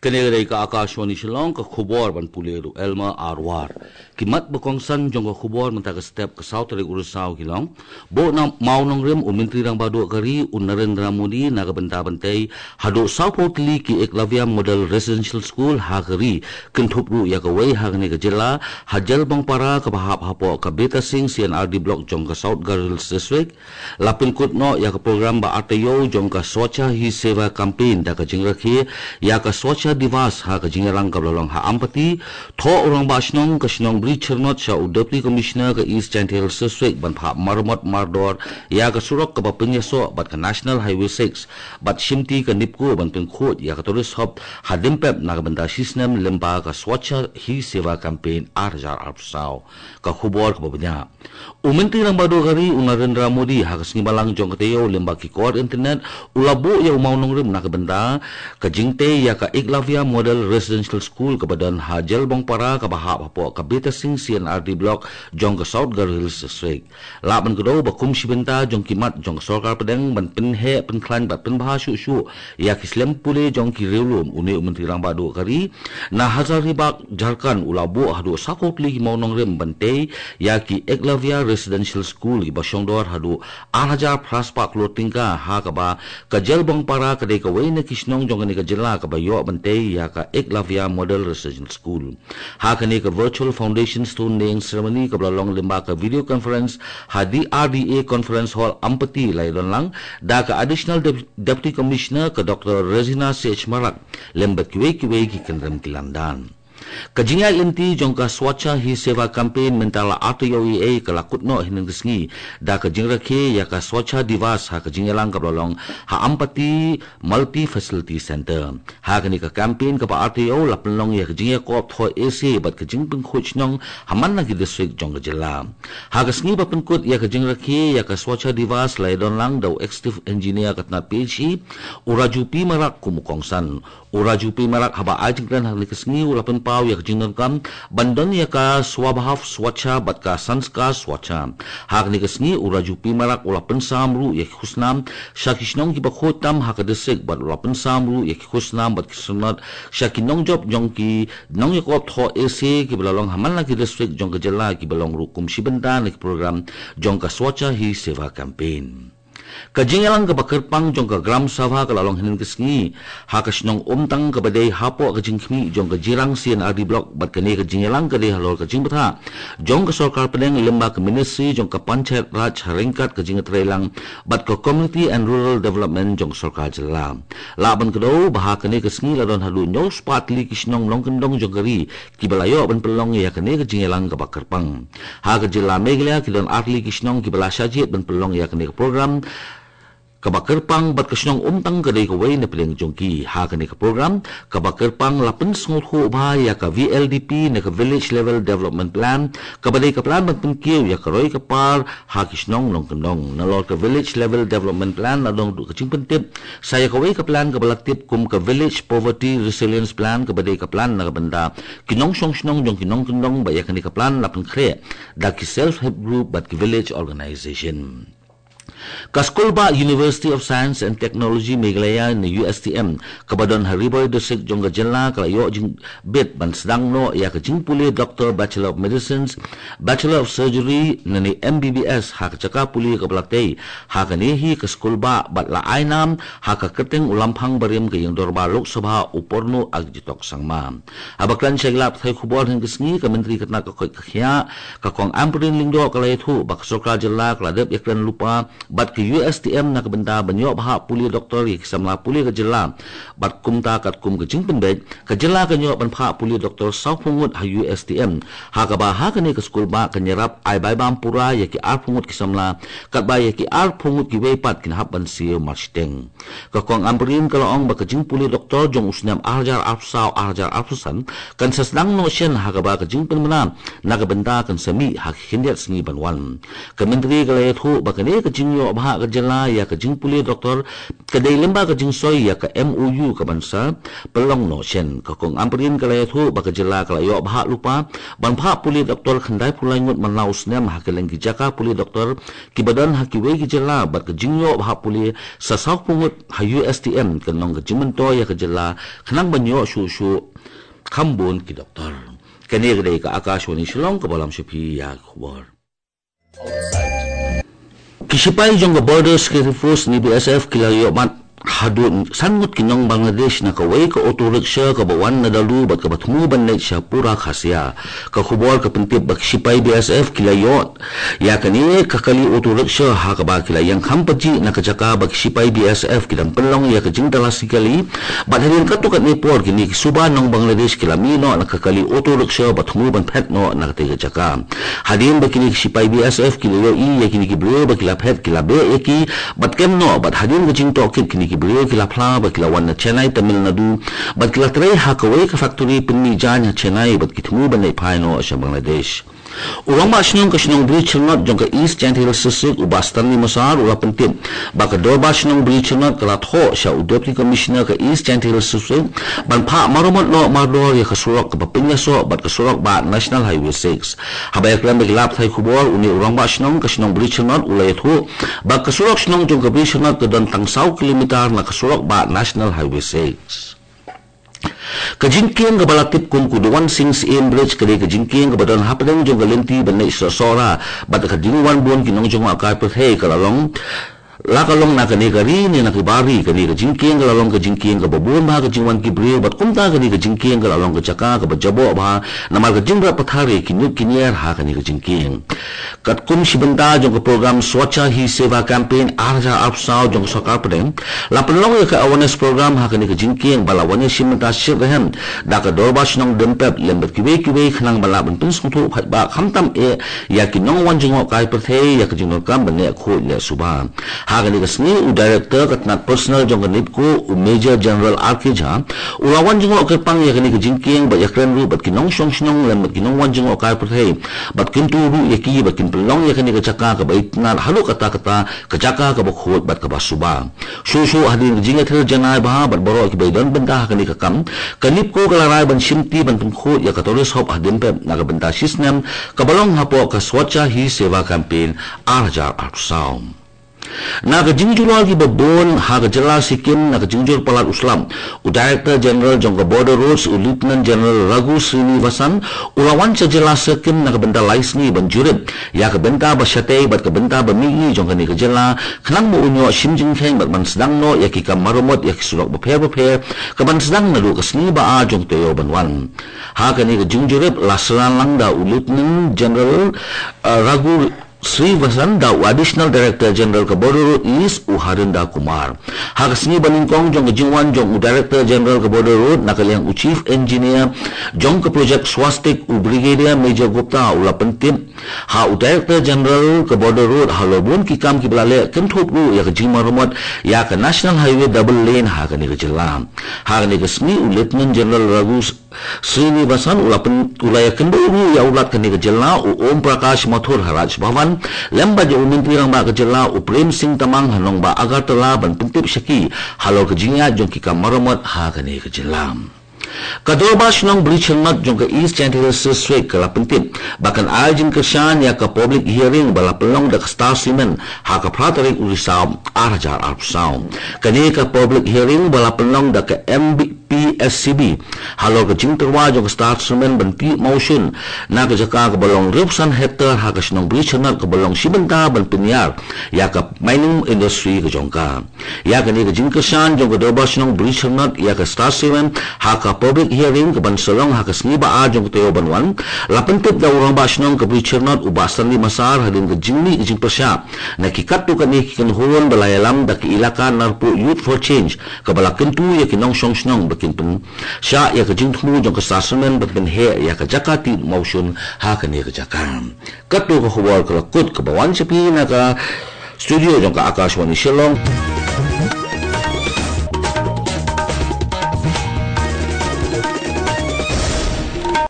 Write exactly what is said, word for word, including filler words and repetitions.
Kane ka dei ka Akashvani Shillong, ka khubor ban pule da u Elmer Arwar. Ki mat ba kongsan jong ka khubor mynta ka step ka saw tarik u Risaw ki long: Buh na Mawnongrim, u Myntri Rangbah Duh ka ri u Narendra Modi na ka bynta ban tei haduh sawphew tylli ki Eklavya Model Residential School ha ka ri, kynthup ruh ïa kawei ha kane ka jylla, ha Jailbongpara kaba hap hapoh ka Beta Singh C and R D Block jong ka South Garo Hills District. La pynkut noh ïa ka program ba ar taïew jong ka Swachha Hi Seva Campaign da ka jingrakhe ïa ka Swachha Diwas ha ka jingïalang kaba la long ha Ampati. Thoh u Rangbah Shnong ka shnong Bri Chyrnot sha u Deputy Commissioner ka East Jaintia Hills District ban phah maramot mardor ïa ka surok kaba pynïasoh bad ka National Highway six, bad shimti ka NEEPCO ban pynkhuid ïa ka tourist hub ha Dimpep na ka bynta shisnem lyngba ka Swachha Hi Seva Campaign ar hajar arphew saw. Ka khubor kaba bniah. U Myntri Rangbah Duh ka ri u Narendra Modi ha ka sngi Balang jong ka taïew lyngba ki kor internet u la buh ïa u Mawnongrim na ka bynta ka jingtei ïa ka Eklavya Model Residential School kaba don ha Jailbongpara kaba hap hapoh ka Beta Singh C and R D Block jong ka South Garo Hills District. Lah ban kdew ba kum shi bynta jong ki mat jong ka sorkar pdeng ban pynheh pynkhlaiñ bad pynbha shuh shuh ïa ki slem pule jong ki riewlum, une u Myntri Rangbah Duh ka ri na Hazaribagh Jharkhand u la buh haduh sawphew tylli ki Mawnongrim ban tei ïa ki Eklavya Residential School kiba shongdor haduh ar hajar phra spah klur tyngka, ha kaba ka Jailbongpara ka dei kawei na ki shnong jong kane ka jylla kaba ïoh ban tei ïa ka Eklavya Model Residential School. Ha kane ka virtual foundation stone laying ceremony kaba la long lyngba ka video conference ha D R D A Conference Hall Ampati la ïadon lang da ka Additional Dep-, Deputy Commissioner ka Doctor Rosina C H Marak lem bad kiwei kiwei ki kynrem ki lyndan. Ka jingïaid lynti jong ka Swachha Hi Seva Campaign mynta la ar taïew ei ei ka la kut noh hynnin ka sngi da ka jingrakhe ïa ka Swachha Diwas ha ka jingïalang kaba la long ha Ampati Multi Facility Center. Ha kane ka campaign kaba ar taïew la pynlong ïa ka jingïakop thoh essay bad ka jingpynkhuid shnong ha man la ki district jong ka jylla. Ha ka sngi ba pynkut ïa ka jingrakhe ïa ka Swachha Diwas la ïadon lang da u Executive Engineer ka tnat P H E, u Raju P Marak kum u kongsan. U Raju P Marak haba ai jingkren ha kane ka sngi u la pynpaw ïa ka jingdonkam ban don ïa ka Swabhav Swachha bad ka Sanskar Swachha. Ha kane ka sngi u Raju P Marak u la pynsam ruh ïa ki khusnam sha ki shnong kiba khuid tam ha ka district bad u la pynsam ruh ïa ki khusnam bad ki sanad sha ki nongjop jong ki nongïakop thoh essay kiba la long ha man la ki district jong ka jylla kiba long ruh kum shi bynta na ki program jong ka Swachha Hi Seva Campaign. Ka jingïalang kaba kyrpang jong ka Gram Sabha ka la long hynnin ka sngi ha ka shnong Umtang kaba dei hapoh ka jingkhmih jong ka Jirang C and R D Block, bad kane ka jingïalang ka dei halor ka jingbthah jong ka sorkar pdeng lyngba ka Ministry jong ka Panchayat Raj ha ryngkat ka jingïatreilang bad ka Community and Rural Development jong ka sorkar jylla. Lah ban kdew ba ha kane ka sngi la don haduh hynñiew spah tylli ki shnong nongkyndong jong ka ri kiba la ïoh ban pynlong ïa kane ka jingïalang kaba kyrpang. Ha ka jylla Meghalaya ki don ar tylli ki shnong kiba la shah jied ban pynlong ïa kane ka program kaba kyrpang, bad ka shnong Umtang ka dei kawei na pdeng jong ki. Ha kane ka program kaba kyrpang la pynsngewthuh bha ïa ka V L D P ne ka Village Level Development Plan kaba dei ka plan ban pynkiew ïa ka roi ka par ha ki shnong nongkyndong. Nalor ka Village Level Development Plan la don ruh ka jingpyntip sa ïa kawei ka plan kaba la tip kum ka Village Poverty Resilience Plan kaba dei ka plan na ka bynta ki nongshong shnong jong ki nongkyndong, bad ïa kane ka plan la pynkhreh da ki Self Help Group bad ki Village Organization. Ka skulbah University of Science and Technology Meghalaya ne U S T M kaba don ha Ri Bhoi District jong ka jylla ka la ïoh jingbit ban sdang noh ïa ka jingpule Doctor, Bachelor of Medicines, Bachelor of Surgery ne M B B S ha ka jaka pule kaba la tei ha kane hi ka skulbah, bad la ai nam ha ka kyrteng u Lamphang barim ka ïing dorbar Lok Sabha u Porno Agjitok Sangma. Haba kren sha ki lad pathai khubor hynnin ka sngi, ka Myntri ka tnat ka koit ka khiah, ka Kong Ampareen Lyngdoh ka la ïathuh ba ka sorkar jylla ka la dep ïakren lypa bad ka U S T M na ka bynta ban ïoh phah pule doktor ïa ki samla pule ka jylla. Bad kumta katkum ka jingpynbeit, ka jylla kan ïoh ban phah pule doktor sawphew ngut ha U S T M, ha kaba ha kane ka skulbah kan ïarap ai bai bam pura ïa ki arphew ngut ki samla, katba ïa ki arphew ngut kiwei pat kin hap ban siew marshiteng. Ka Kong Ampareen ka la ong ba ka jingpule doktor jong u snem ar hajar arphew saw ar hajar arphew san kan sa sdang noh shen, ha kaba ka jingpynbna na ka bynta kan sa mih ha ki khyndiat sngi ban wan. Ka Myntri ka la ïathuh ba kane ka jing ïoh bha ka jylla ïa ka jingpule doktor ka dei lyngba ka jingsoi ïa ka M O U ka ban sa pynlong noh shen. Ka Kong Ampareen ka la ïathuh ba ka jylla ka la ïoh bha lypa ban phah pule doktor khyndai phew lai ngut man la u snem ha kylleng ki jaka pule doktor kiba don ha kiwei ki jylla bad ka jingïoh bha pule sa saw phew ngut ha U S T M kan long ka jingmyntoi ïa ka jylla khnang ban ïoh shuh shuh kham bun ki doktor. Kane ka dei ka Akashvani Shillong kaba lam sha phi ïa ka khubor. Ki sipai jong ka Border Security Force ne B S F ki la ïoh bat haduh san ngut ki nong Bangladesh na kawei ka auto rickshaw kaba wan na Dalu bad kaba thmu ban leit sha Pura Khasia. Ka khubor ka pyntip ba ki sipai B S F ki la ïoh ïa kane ka kali auto rickshaw ha kaba ki la ïeng kham pajih na ka jaka ba ki sipai B S F ki dang pynlong ïa ka jingtalasi kali bad hadien katto katne por kine ki suba nong Bangladesh ki la mih noh na ka kali auto rickshaw bad thmu ban phet noh na katei ka jaka. Hadien ba kine ki sipai B S F ki la ïohi ïa kine ki briew ba ki la phet ki la beh ïa ki bad kem noh bad hadien ka jingtohkit kine ki briew ki la phla ba ki la wan na Chennai, Tamil Nadu bad ki la trei ha kawei ka factory pynmih jaiñ ha Chennai bad ki thmu ban leit phai noh sha Bangladesh. U Rangbah Shnong ka shnong Bri Chyrnot jong ka East Jaintia Hills District u Bah Stanley Mosar u la pyntip ba ka Dorbar Shnong Bri Chyrnot ka la thoh sha u Deputy Commissioner ka East Jaintia Hills District ban phah maramot noh mardor ïa ka surok kaba pynïasoh bad ka surok bah National Highway six. Haba ïakren bad ki lad pathai khubor une u Rangbah Shnong ka shnong Bri Chyrnot u la ïathuh ba ka surok shnong jong ka Bri Chyrnot ka don tang saw kilometer na ka surok bah National Highway six. Ka jingkieng kaba la tip kum ka Duwan Sing Syiem Bridge ka dei ka jingkieng kaba don hapdeng jong ka lynti ban leit sha Sohra bad ka jingwan bun ki nongjngohkai pyrthei ka la long la ka long na kane ka ri ne na ki bar ri. Kane ka jingkieng ka la long ka jingkieng kaba bun bha ka jingwan ki briew bad kumta kane ka jingkieng ka la long ka jaka kaba jaboh bha namar ka jingrep pathar ïa ki nud ki ñiar ha kane ka jingkieng. Katkum shi bynta jong ka program Swachha Hi Seva Campaign ar hajar arphew saw jong ka sorkar pdeng la pynlong ïa ka awareness program ha kane ka jingkieng ba la wan ïa shi bynta shitrhem da ka Dorbar Shnong Dimpep lem bad kiwei kiwei khnang ba lah ban pynsngewthuh paidbah khamtam eh ïa ki nongwan jngohkai pyrthei ïa ka jingdonkam ban leh khuid leh suba. Ha kane ka sngi u Director ka tnat Personnel jong ka NEEPCO u Major General R K Jha u la wan jngoh kyrpang ïa kane ka jingkieng bad ïakren ruh bad ki nongshong shnong lem bad ki nongwan jngohkai pyrthei bad kyntu ruh ïa ki ba kin pynlong ïa kane ka jaka kaba itynnad haduh katta katta ka jaka kaba khuid bad kaba suba. Shuh shuh hadien ka jingïather janai bha bad baroh kiba ïadon bynta ha kane ka kam, ka NEEPCO ka la rai ban shimti ban pynkhuid ïa ka tourist hub ha Dimpep na ka bynta shisnem kaba long hapoh ka Swachha Hi Seva Campaign ar hajar arphew saw. Na ka jingjulor kiba bun ha ka jylla Sikkim na ka jingjur palat u slap, u Director General jong ka Border Roads u Lieutenant General Raghu Srinivasan u la wan sha jylla Sikkim na ka bynta lai sngi ban jurip ïa ka bynta ba shatei bad ka bynta ba mihngi jong kane ka jylla khnang ba un ïoh shim jingkheiñ bad ban sdang noh ïa ki kam maramot ïa ki surok bapher bapher ka ban sdang naduh ka sngi ba ar jong ka taïew ban wan. Ha kane ka jingjurip la synran lang da u Lieutenant General, uh, Raghu Srinivasan da u Additional Director General ka Border Road East u Harinder Kumar. Ha ka sngi ba nyngkong jong ka jingwan jong u Director General ka Border Road na ka liang u Chief Engineer jong ka project Swastik u Brigadier Major Gupta u la pyntip ha u Director General ka Border Road halor bun ki kam kiba la leh kynthup ruh ïa ka jingmaramot ïa ka National Highway double lane ha kane ka jylla. Ha kane ka sngi u Lieutenant General Raghu Srinivasan u la pyn-, u la ïakynduh ruh ïa u Lat kane ka jylla u Om Prakash Mathur ha Raj Bhavan lem bad ïa u Myntri Rangbah ka jylla u Prem Singh Tamang ha nongbah Agartala ban pyntip sha ki halor ka jingïaid jong ki kam maramot ha kane ka jylla. Ka Dorbar Shnong Bri Chyrnot jong ka East Jaintia Hills District ka la pyntip ba kan ai jingkyrshan ïa ka public hearing ba la pynlong da ka Star Cement ha ka phra tarik u Risaw ar hajar arphew saw. Kane ka public hearing ba la pynlong da ka M P S C B halor ka jingtyrwa jong ka Star Cement ban tih mawshun na ka jaka kaba long hynriewphew san hektar ha ka shnong Bri Chyrnot kaba long shi bynta ban pynïar ïa ka mining industry ka jong ka. Ïa kane ka jingkyrshan jong ka Dorbar Shnong Bri Chyrnot ïa ka Star Cement ha ka public hearing ka ban sa long ha ka sngi ba ar jong ka taïew ban wan la pyntip da u Rangbah Shnong ka Bri Chyrnot u Bah Stanley Mosar hadien ka jingmih ka jingpyrshah na ki katto katne ki kynhun ba la ïalam da ka Elaka Narpuh Youth for Change kaba la kyntu ïa ki nongshong shnong ba kin pynshah ïa ka jingthmu jong ka Star Cement ban pynheh ïa ka jaka tih mawshun ha kane ka jaka. Katto ka khubor ka la kut kaba wan sha phi na ka studio jong ka Akashvani Shillong.